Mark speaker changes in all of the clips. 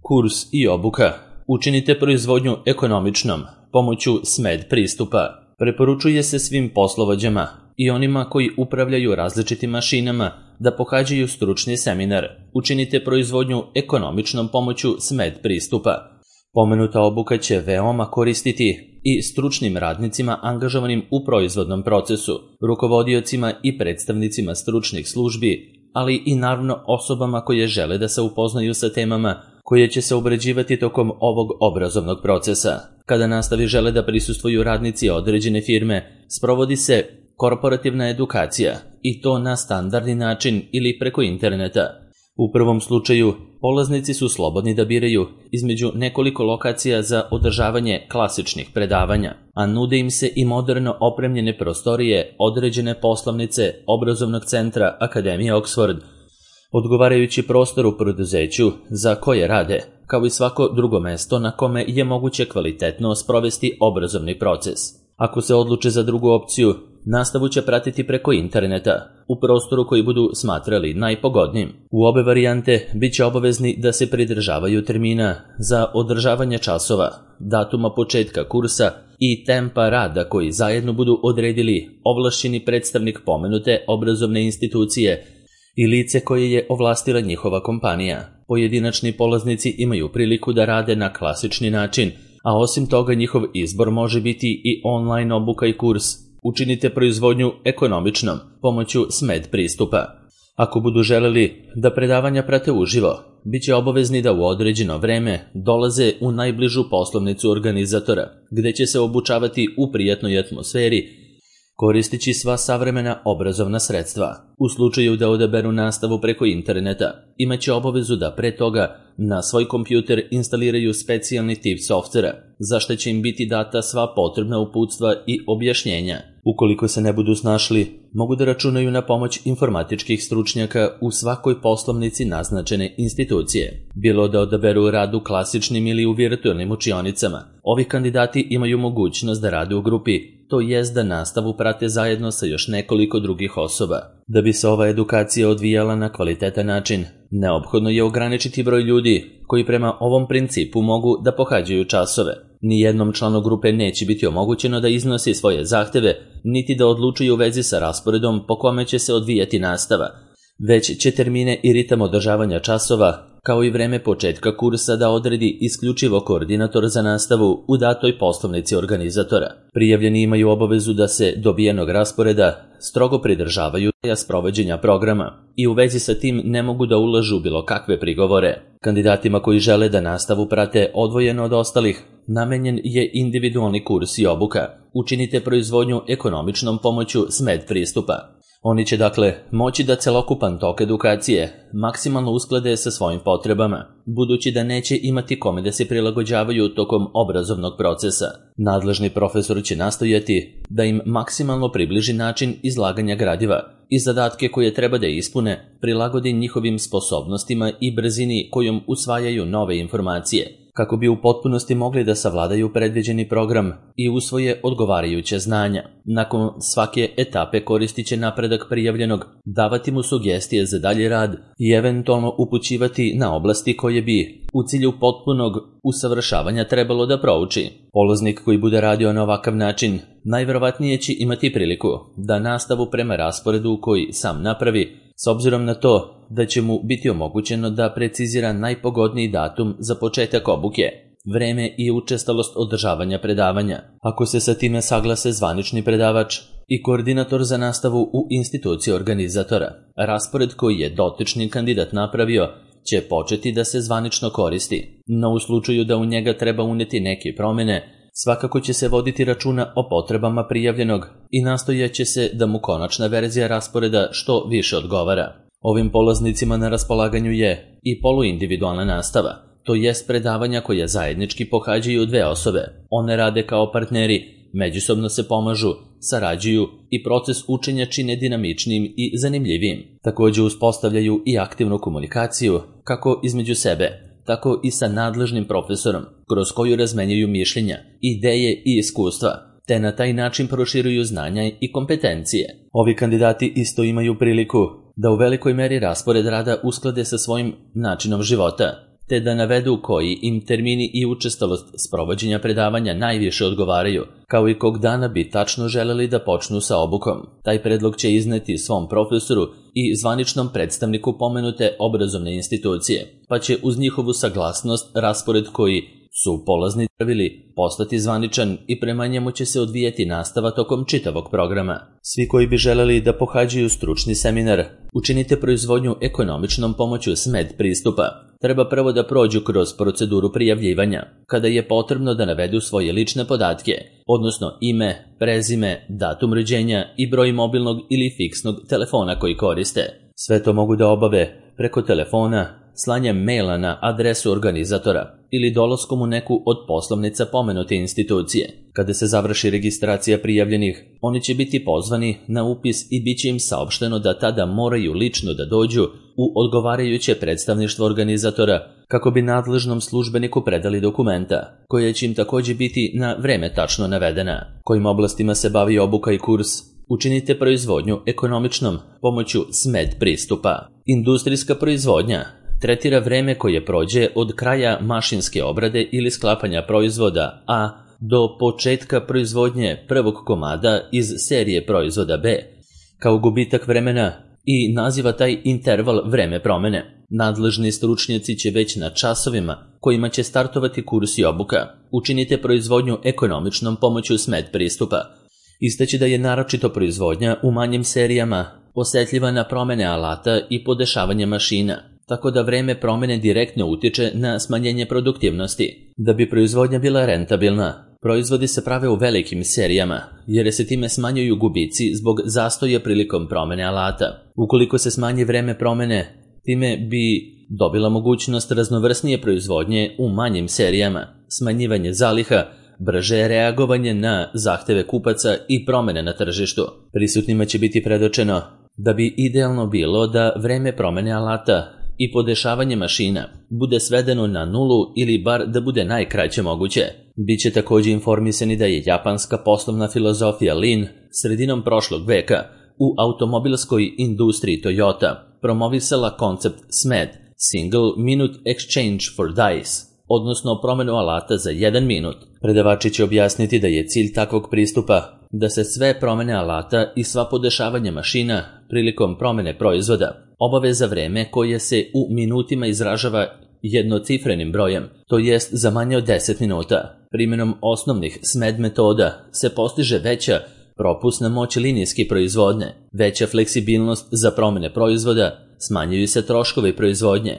Speaker 1: Kurs i obuka. Učinite proizvodnju ekonomičnom pomoću SMED pristupa. Preporučuje se svim poslovođama i onima koji upravljaju različitim mašinama da pohađaju stručni seminar. Učinite proizvodnju ekonomičnom pomoću SMED pristupa. Pomenuta obuka će veoma koristiti i stručnim radnicima angažovanim u proizvodnom procesu, rukovodiocima i predstavnicima stručnih službi, ali i naravno osobama koje žele da se upoznaju sa temama koje će se obrađivati tokom ovog obrazovnog procesa. Kada nastavi žele da prisustvuju radnici određene firme, sprovodi se korporativna edukacija i to na standardni način ili preko interneta. U prvom slučaju, polaznici su slobodni da biraju između nekoliko lokacija za održavanje klasičnih predavanja, a nude im se i moderno opremljene prostorije određene poslovnice obrazovnog centra Akademije Oxford, odgovarajući prostor u preduzeću za koje rade, kao i svako drugo mesto na kome je moguće kvalitetno sprovesti obrazovni proces. Ako se odluče za drugu opciju, nastavu će pratiti preko interneta, u prostoru koji budu smatrali najpogodnijim. U obe varijante bit će obavezni da se pridržavaju termina za održavanje časova, datuma početka kursa i tempa rada koji zajedno budu odredili ovlašćeni predstavnik pomenute obrazovne institucije i lice koje je ovlastila njihova kompanija. Pojedinačni polaznici imaju priliku da rade na klasični način, a osim toga njihov izbor može biti i online obuka i kurs. Učinite proizvodnju ekonomičnom pomoću SMED pristupa. Ako budu želeli da predavanja prate uživo, bit će obavezni da u određeno vreme dolaze u najbližu poslovnicu organizatora, gde će se obučavati u prijatnoj atmosferi, koristeći sva savremena obrazovna sredstva. U slučaju da odaberu nastavu preko interneta, imaće obavezu da pre toga na svoj kompjuter instaliraju specijalni tip softvera, za što će im biti data sva potrebna uputstva i objašnjenja. Ukoliko se ne budu snašli, mogu da računaju na pomoć informatičkih stručnjaka u svakoj poslovnici naznačene institucije. Bilo da odaberu rad u klasičnim ili u virtualnim učionicama, ovi kandidati imaju mogućnost da rade u grupi, to jest da nastavu prate zajedno sa još nekoliko drugih osoba. Da bi se ova edukacija odvijala na kvalitetan način, neophodno je ograničiti broj ljudi koji prema ovom principu mogu da pohađaju časove. Nijednom članu grupe neće biti omogućeno da iznosi svoje zahteve, niti da odlučuje u vezi sa rasporedom po kome će se odvijati nastava, već će termine i ritam održavanja časova, kao i vreme početka kursa da odredi isključivo koordinator za nastavu u datoj poslovnici organizatora. Prijavljeni imaju obavezu da se dobijenog rasporeda strogo pridržavaju sprovođenja programa i u vezi sa tim ne mogu da ulažu bilo kakve prigovore. Kandidatima koji žele da nastavu prate odvojeno od ostalih, namenjen je individualni kurs i obuka. Učinite proizvodnju ekonomičnom pomoću SMED pristupa. Oni će dakle moći da celokupan tok edukacije maksimalno usklade sa svojim potrebama, budući da neće imati kome da se prilagođavaju tokom obrazovnog procesa. Nadležni profesor će nastojati da im maksimalno približi način izlaganja gradiva i zadatke koje treba da ispune prilagodi njihovim sposobnostima i brzini kojom usvajaju nove informacije, kako bi u potpunosti mogli da savladaju predviđeni program i usvoje odgovarajuće znanja. Nakon svake etape koristit će napredak prijavljenog, davati mu sugestije za dalji rad i eventualno upućivati na oblasti koje bi u cilju potpunog usavršavanja trebalo da prouči. Polaznik koji bude radio na ovakav način najverovatnije će imati priliku da nastavu prema rasporedu koji sam napravi, s obzirom na to da će mu biti omogućeno da precizira najpogodniji datum za početak obuke, vreme i učestalost održavanja predavanja. Ako se sa time saglase zvanični predavač i koordinator za nastavu u instituciji organizatora, raspored koji je dotični kandidat napravio će početi da se zvanično koristi, no u slučaju da u njega treba uneti neke promjene, svakako će se voditi računa o potrebama prijavljenog i nastojaće se da mu konačna verzija rasporeda što više odgovara. Ovim polaznicima na raspolaganju je i poluindividualna nastava, to jest predavanja koje zajednički pohađaju dve osobe. One rade kao partneri, međusobno se pomažu, sarađuju i proces učenja čine dinamičnim i zanimljivim. Također uspostavljaju i aktivnu komunikaciju, kako između sebe, tako i sa nadležnim profesorom, kroz koju razmenjuju mišljenja, ideje i iskustva, te na taj način proširuju znanja i kompetencije. Ovi kandidati isto imaju priliku da u velikoj meri raspored rada usklade sa svojim načinom života, te da navedu koji im termini i učestalost sprovođenja predavanja najviše odgovaraju, kao i kog dana bi tačno želeli da počnu sa obukom. Taj predlog će izneti svom profesoru i zvaničnom predstavniku pomenute obrazovne institucije, pa će uz njihovu saglasnost raspored koji su polaznici pravili postati zvaničan i prema njemu će se odvijati nastava tokom čitavog programa. Svi koji bi želeli da pohađaju stručni seminar Učinite proizvodnju ekonomičnom pomoću SMED pristupa treba prvo da prođu kroz proceduru prijavljivanja, kada je potrebno da navedu svoje lične podatke, odnosno ime, prezime, datum rođenja i broj mobilnog ili fiksnog telefona koji koriste. Sve to mogu da obave preko telefona, slanjem maila na adresu organizatora ili dolaskom u neku od poslovnica pomenute institucije. Kada se završi registracija prijavljenih, oni će biti pozvani na upis i bit će im saopšteno da tada moraju lično da dođu u odgovarajuće predstavništvo organizatora kako bi nadležnom službeniku predali dokumenta, koja će im također biti na vreme tačno navedena. Kojim oblastima se bavi obuka i kurs? Učinite proizvodnju ekonomičnom pomoću SMED pristupa. Industrijska proizvodnja tretira vreme koje prođe od kraja mašinske obrade ili sklapanja proizvoda A do početka proizvodnje prvog komada iz serije proizvoda B, kao gubitak vremena i naziva taj interval vreme promene. Nadležni stručnjaci će već na časovima kojima će startovati kurs i obuka Učinite proizvodnju ekonomičnom pomoću SMED pristupa istaći da je naročito proizvodnja u manjim serijama osjetljiva na promene alata i podešavanje mašina, tako da vreme promene direktno utiče na smanjenje produktivnosti. Da bi proizvodnja bila rentabilna, proizvodi se prave u velikim serijama, jer se time smanjuju gubici zbog zastoja prilikom promene alata. Ukoliko se smanji vreme promene, time bi dobila mogućnost raznovrsnije proizvodnje u manjim serijama, smanjivanje zaliha, brže reagovanje na zahteve kupaca i promene na tržištu. Prisutnima će biti predočeno da bi idealno bilo da vreme promene alata i podešavanje mašina bude svedeno na nulu ili bar da bude najkraće moguće. Biće također informisani da je japanska poslovna filozofija Lean sredinom prošlog veka u automobilskoj industriji Toyota promovisala koncept SMED, Single Minute Exchange for Dice, odnosno promenu alata za 1 minut. Predavači će objasniti da je cilj takvog pristupa da se sve promene alata i sva podešavanja mašina prilikom promene proizvoda obave za vreme koje se u minutima izražava jednocifrenim brojem, to jest za manje od 10 minuta. Primjenom osnovnih SMED metoda se postiže veća propusna moć linijske proizvodnje, veća fleksibilnost za promene proizvoda, smanjuju se troškovi proizvodnje,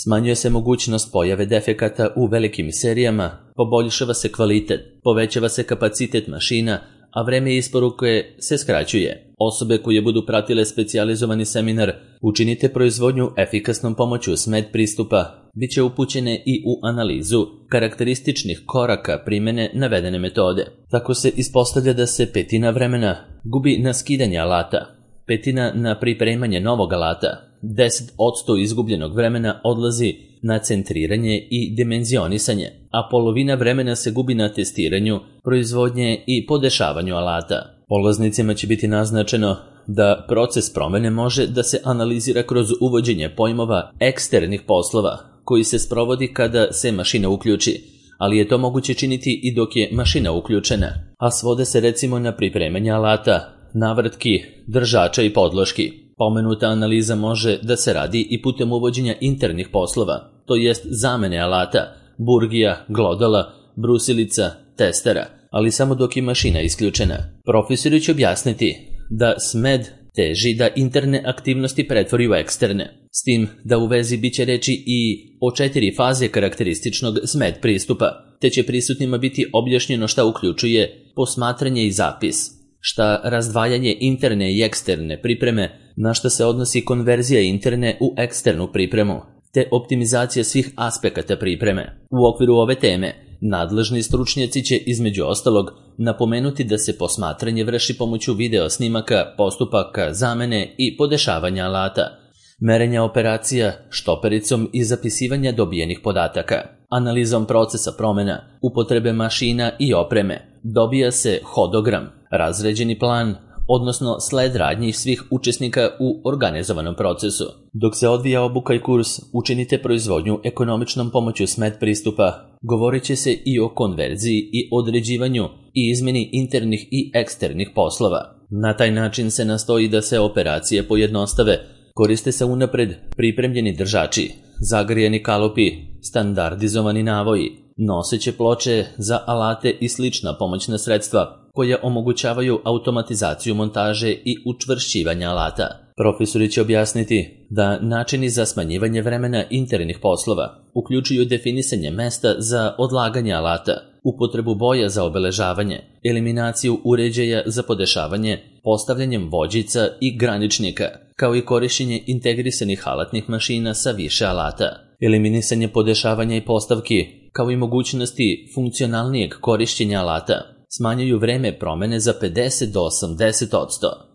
Speaker 1: smanjuje se mogućnost pojave defekata u velikim serijama, poboljšava se kvalitet, povećava se kapacitet mašina, a vreme isporuke se skraćuje. Osobe koje budu pratile specijalizovani seminar Učinite proizvodnju efikasnom pomoću SMED pristupa bit će upućene i u analizu karakterističnih koraka primjene navedene metode. Tako se ispostavlja da se 1/5 vremena gubi na skidanje alata, 1/5 na pripremanje novog alata, 10% izgubljenog vremena odlazi na centriranje i dimenzionisanje, a polovina vremena se gubi na testiranju, proizvodnje i podešavanju alata. Polaznicima će biti naznačeno da proces promene može da se analizira kroz uvođenje pojmova eksternih poslova koji se sprovodi kada se mašina uključi, ali je to moguće činiti i dok je mašina uključena, a svode se recimo na pripremanje alata, navrtki, držača i podloški. Pomenuta analiza može da se radi i putem uvođenja internih poslova, to jest zamene alata, burgija, glodala, brusilica, testera, ali samo dok je mašina isključena. Profesori će objasniti da SMED teži da interne aktivnosti pretvori u eksterne, s tim da u vezi biće reći i o 4 faze karakterističnog SMED pristupa, te će prisutnima biti objašnjeno šta uključuje posmatranje i zapis, šta razdvajanje interne i eksterne pripreme, na šta se odnosi konverzija interne u eksternu pripremu, te optimizacija svih aspekata pripreme. U okviru ove teme, nadležni stručnjaci će između ostalog napomenuti da se posmatranje vrši pomoću video snimaka, postupaka, zamene i podešavanja alata, merenja operacija štopericom i zapisivanja dobijenih podataka. Analizom procesa promjena, upotrebe mašina i opreme, dobija se hodogram, razređeni plan, odnosno sled radnji svih učesnika u organizovanom procesu. Dok se odvija obuka i kurs Učinite proizvodnju ekonomičnom pomoću SMED pristupa, govorit će se i o konverziji i određivanju i izmjeni internih i eksternih poslova. Na taj način se nastoji da se operacije pojednostave, koriste se unapred pripremljeni držači, zagrijeni kalupi, standardizovani navoji, noseće ploče za alate i slična pomoćna sredstva koja omogućavaju automatizaciju montaže i učvršćivanja alata. Profesori će objasniti da načini za smanjivanje vremena internih poslova uključuju definisanje mesta za odlaganje alata, upotrebu boja za obeležavanje, eliminaciju uređaja za podešavanje, postavljanjem vođica i graničnika, kao i korišćenje integrisanih alatnih mašina sa više alata, eliminisanje podešavanja i postavki, kao i mogućnosti funkcionalnijeg korišćenja alata, smanjuju vreme promene za 50 do 80%.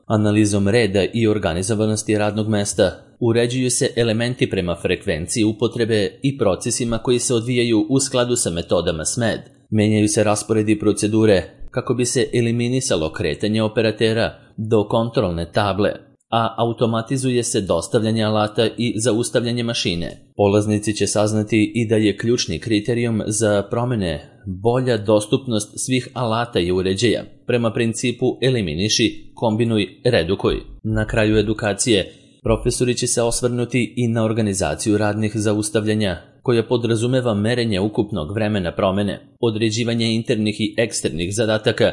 Speaker 1: Analizom reda i organizovanosti radnog mesta uređuju se elementi prema frekvenciji upotrebe i procesima koji se odvijaju u skladu sa metodama SMED. Menjaju se rasporedi i procedure kako bi se eliminisalo kretanje operatera do kontrolne table, a automatizuje se dostavljanje alata i zaustavljanje mašine. Polaznici će saznati i da je ključni kriterijum za promene bolja dostupnost svih alata i uređaja, prema principu eliminiši, kombinuj, redukuj. Na kraju edukacije, profesori će se osvrnuti i na organizaciju radnih zaustavljanja, koja podrazumeva merenje ukupnog vremena promene, određivanje internih i eksternih zadataka,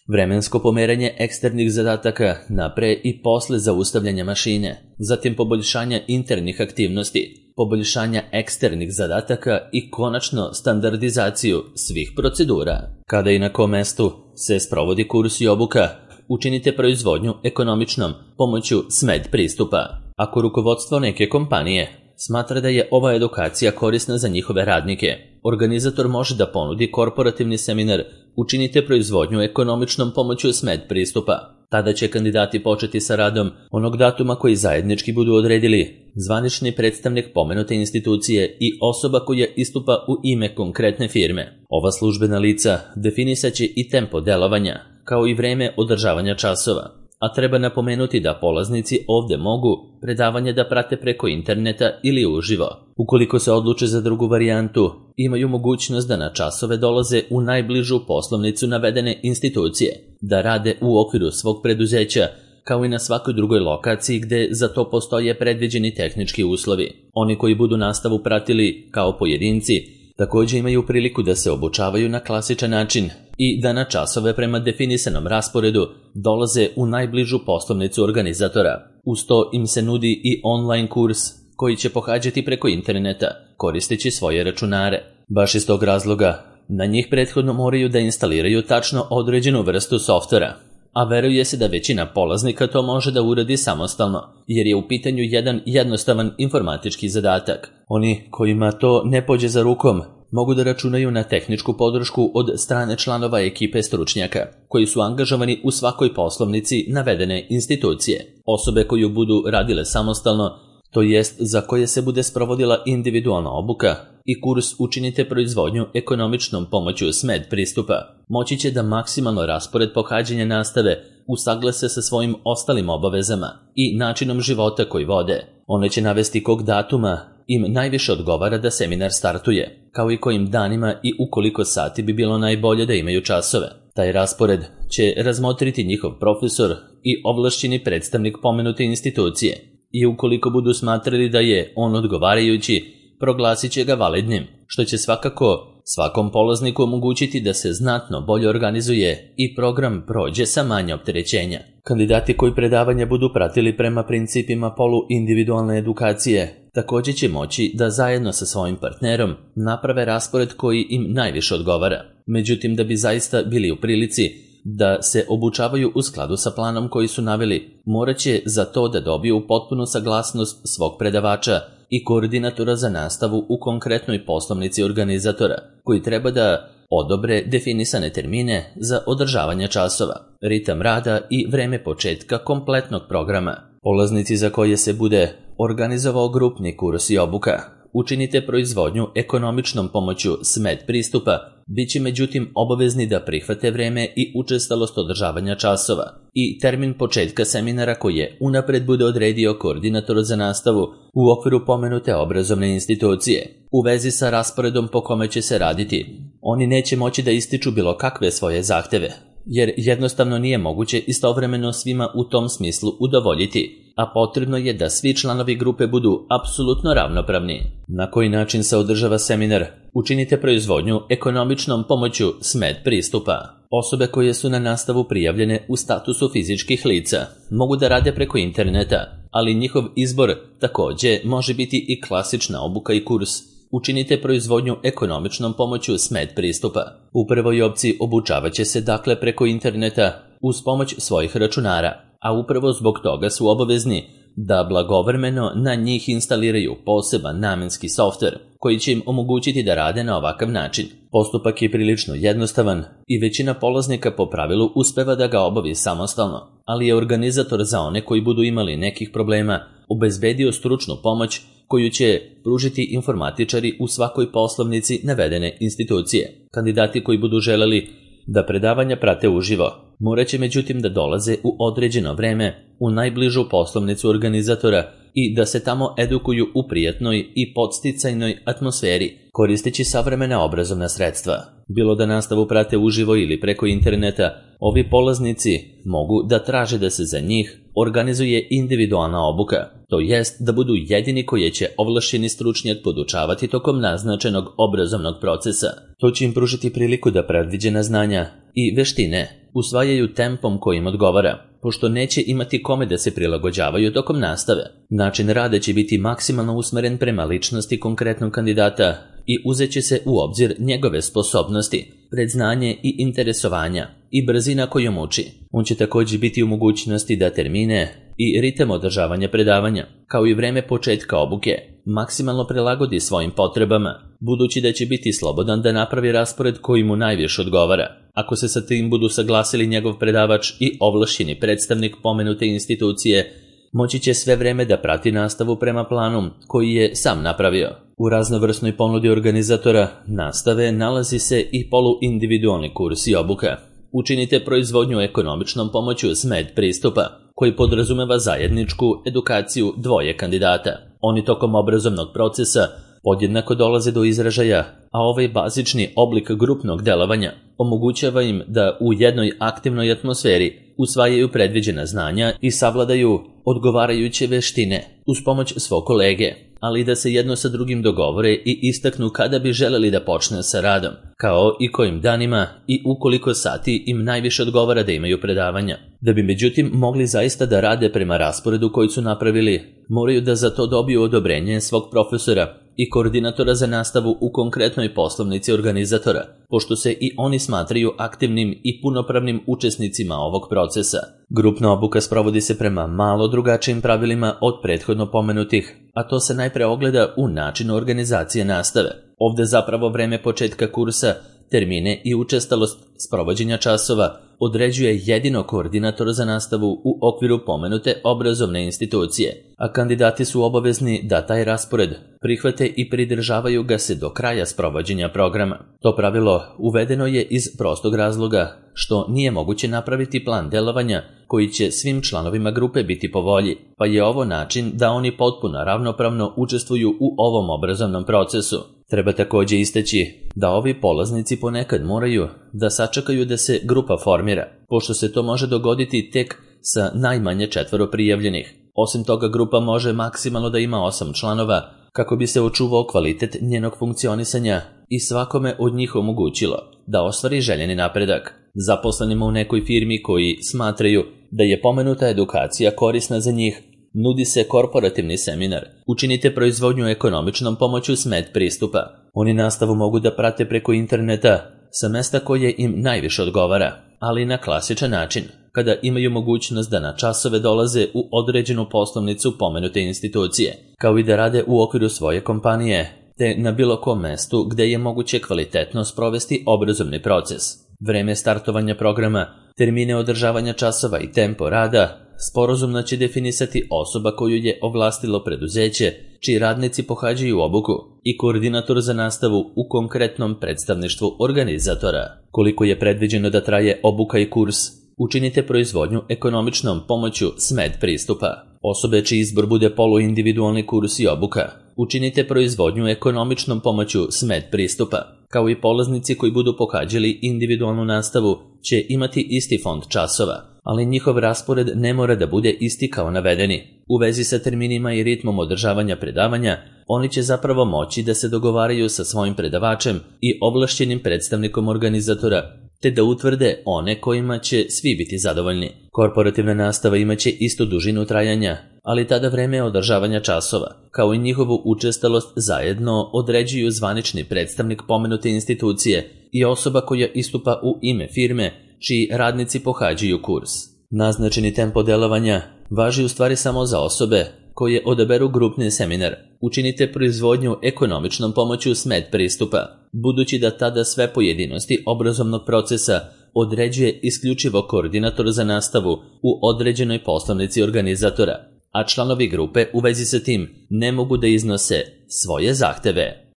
Speaker 1: vremensko pomeranje eksternih zadataka na pre i posle zaustavljanja mašine, zatim poboljšanja internih aktivnosti, poboljšanja eksternih zadataka i konačno standardizaciju svih procedura. Kada i na kom mestu se sprovodi kurs i obuka, učinite proizvodnju ekonomičnom pomoću SMED pristupa. Ako rukovodstvo neke kompanije smatra da je ova edukacija korisna za njihove radnike, organizator može da ponudi korporativni seminar Učinite proizvodnju ekonomičnom pomoću SMED pristupa. Tada će kandidati početi sa radom onog datuma koji zajednički budu odredili zvanični predstavnik pomenute institucije i osoba koja istupa u ime konkretne firme. Ova službena lica definisaće i tempo delovanja, kao i vreme održavanja časova. A treba napomenuti da polaznici ovde mogu predavanje da prate preko interneta ili uživo. Ukoliko se odluče za drugu varijantu, imaju mogućnost da na časove dolaze u najbližu poslovnicu navedene institucije, da rade u okviru svog preduzeća, kao i na svakoj drugoj lokaciji gde za to postoje predviđeni tehnički uslovi. Oni koji budu nastavu pratili kao pojedinci, također imaju priliku da se obučavaju na klasičan način i da na časove prema definisanom rasporedu dolaze u najbližu poslovnicu organizatora. Uz to im se nudi i online kurs koji će pohađati preko interneta, koristeći svoje računare. Baš iz tog razloga, na njih prethodno moraju da instaliraju tačno određenu vrstu softvera, a veruje se da većina polaznika to može da uradi samostalno, jer je u pitanju jedan jednostavan informatički zadatak. Oni kojima to ne pođe za rukom, mogu da računaju na tehničku podršku od strane članova ekipe stručnjaka, koji su angažovani u svakoj poslovnici navedene institucije. Osobe koju budu radile samostalno, to jest za koje se bude sprovodila individualna obuka i kurs Učinite proizvodnju ekonomičnom pomoću SMED pristupa, moći će da maksimalno raspored pohađanja nastave usaglase sa svojim ostalim obavezama i načinom života koji vode. One će navesti kog datuma im najviše odgovara da seminar startuje, kao i kojim danima i u koliko sati bi bilo najbolje da imaju časove. Taj raspored će razmotriti njihov profesor i ovlašćeni predstavnik pomenute institucije i ukoliko budu smatrali da je on odgovarajući, proglasit će ga validnim, što će svakako svakom polazniku omogućiti da se znatno bolje organizuje i program prođe sa manje opterećenja. Kandidati koji predavanja budu pratili prema principima poluindividualne edukacije također će moći da zajedno sa svojim partnerom naprave raspored koji im najviše odgovara. Međutim, da bi zaista bili u prilici da se obučavaju u skladu sa planom koji su naveli, morat će za to da dobiju potpunu saglasnost svog predavača i koordinatora za nastavu u konkretnoj poslovnici organizatora, koji treba da odobre definisane termine za održavanje časova, ritam rada i vreme početka kompletnog programa. Polaznici za koje se bude organizovao grupni kurs i obuka učinite proizvodnju ekonomičnom pomoću SMED pristupa, bit će međutim obavezni da prihvate vreme i učestalost održavanja časova i termin početka seminara koje unapred bude odredio koordinator za nastavu u okviru pomenute obrazovne institucije. U vezi sa rasporedom po kome će se raditi, oni neće moći da ističu bilo kakve svoje zahteve, jer jednostavno nije moguće istovremeno svima u tom smislu udovoljiti, a potrebno je da svi članovi grupe budu apsolutno ravnopravni. Na koji način se održava seminar? Učinite proizvodnju ekonomičnom pomoću SMED pristupa. Osobe koje su na nastavu prijavljene u statusu fizičkih lica mogu da rade preko interneta, ali njihov izbor također može biti i klasična obuka i kurs. Učinite proizvodnju ekonomičnom pomoću SMED pristupa. U prvoj opciji obučavat će se dakle preko interneta uz pomoć svojih računara, a upravo zbog toga su obavezni da blagovremeno na njih instaliraju poseban namenski softver koji će im omogućiti da rade na ovakav način. Postupak je prilično jednostavan i većina polaznika po pravilu uspeva da ga obavi samostalno, ali je organizator za one koji budu imali nekih problema obezbedio stručnu pomoć koju će pružiti informatičari u svakoj poslovnici navedene institucije. Kandidati koji budu želeli da predavanja prate uživo morat će međutim da dolaze u određeno vreme u najbližu poslovnicu organizatora i da se tamo edukuju u prijatnoj i podsticajnoj atmosferi, koristeći savremena obrazovna sredstva. Bilo da nastavu prate uživo ili preko interneta, ovi polaznici mogu da traže da se za njih organizuje individualna obuka, to jest da budu jedini koji će ovlašćeni stručnjak podučavati tokom naznačenog obrazovnog procesa. To će im pružiti priliku da predviđena znanja i veštine usvajaju tempom kojim odgovara, pošto neće imati kome da se prilagođavaju tokom nastave. Način rada će biti maksimalno usmeren prema ličnosti konkretnog kandidata i uzet će se u obzir njegove sposobnosti, predznanje i interesovanja i brzina kojom uči. On će također biti u mogućnosti da termine i ritam održavanja predavanja, kao i vreme početka obuke, maksimalno prilagodi svojim potrebama, budući da će biti slobodan da napravi raspored koji mu najviše odgovara. Ako se sa tim budu saglasili njegov predavač i ovlašćeni predstavnik pomenute institucije, moći će sve vreme da prati nastavu prema planu koji je sam napravio. U raznovrsnoj ponudi organizatora nastave nalazi se i poluindividualni kurs i obuka. Učinite proizvodnju ekonomičnom pomoću SMED pristupa, koji podrazumeva zajedničku edukaciju dvoje kandidata. Oni tokom obrazovnog procesa podjednako dolaze do izražaja, a ovaj bazični oblik grupnog delovanja omogućava im da u jednoj aktivnoj atmosferi usvajaju predviđena znanja i savladaju odgovarajuće veštine uz pomoć svog kolege, ali i da se jedno sa drugim dogovore i istaknu kada bi želeli da počne sa radom, kao i kojim danima i ukoliko sati im najviše odgovara da imaju predavanja. Da bi međutim mogli zaista da rade prema rasporedu koji su napravili, moraju da za to dobiju odobrenje svog profesora i koordinatora za nastavu u konkretnoj poslovnici organizatora, pošto se i oni smatraju aktivnim i punopravnim učesnicima ovog procesa. Grupna obuka sprovodi se prema malo drugačijim pravilima od prethodno pomenutih, a to se najpre ogleda u načinu organizacije nastave. Ovde zapravo vreme početka kursa, termine i učestalost sprovođenja časova određuje jedino koordinator za nastavu u okviru pomenute obrazovne institucije, a kandidati su obavezni da taj raspored prihvate i pridržavaju ga se do kraja sprovođenja programa. To pravilo uvedeno je iz prostog razloga što nije moguće napraviti plan delovanja koji će svim članovima grupe biti po volji, pa je ovo način da oni potpuno ravnopravno učestvuju u ovom obrazovnom procesu. Treba također istaći da ovi polaznici ponekad moraju da sačekaju da se grupa formira, pošto se to može dogoditi tek sa najmanje 4 prijavljenih. Osim toga, grupa može maksimalno da ima 8 članova kako bi se očuvao kvalitet njenog funkcionisanja i svakome od njih omogućilo da ostvari željeni napredak. Zaposlenima u nekoj firmi koji smatraju da je pomenuta edukacija korisna za njih, nudi se korporativni seminar. Učinite proizvodnju ekonomičnom pomoću SMED pristupa. Oni nastavu mogu da prate preko interneta sa mesta koje im najviše odgovara, ali na klasičan način, kada imaju mogućnost da na časove dolaze u određenu poslovnicu pomenute institucije, kao i da rade u okviru svoje kompanije, te na bilo kom mestu gde je moguće kvalitetno sprovesti obrazovni proces. Vreme startovanja programa, termine održavanja časova i tempo rada sporazumno će definisati osoba koju je ovlastilo preduzeće, čiji radnici pohađaju obuku, i koordinator za nastavu u konkretnom predstavništvu organizatora. Koliko je predviđeno da traje obuka i kurs, učinite proizvodnju ekonomičnom pomoću SMED pristupa. Osobe čiji izbor bude poluindividualni kurs i obuka, učinite proizvodnju ekonomičnom pomoću SMED pristupa. Kao i polaznici koji budu pohađali individualnu nastavu će imati isti fond časova, ali njihov raspored ne mora da bude isti kao navedeni. U vezi sa terminima i ritmom održavanja predavanja, oni će zapravo moći da se dogovaraju sa svojim predavačem i ovlašćenim predstavnikom organizatora, te da utvrde one kojima će svi biti zadovoljni. Korporativna nastava imaće istu dužinu trajanja, ali tada vreme održavanja časova, kao i njihovu učestalost zajedno određuju zvanični predstavnik pomenute institucije i osoba koja istupa u ime firme čiji radnici pohađaju kurs. Naznačeni tempo delovanja važi u stvari samo za osobe koje odaberu grupni seminar. Učinite proizvodnju ekonomičnom pomoću SMED pristupa, budući da tada sve pojedinosti obrazovnog procesa određuje isključivo koordinator za nastavu u određenoj poslovnici organizatora, a članovi grupe u vezi sa tim ne mogu da iznose svoje zahteve.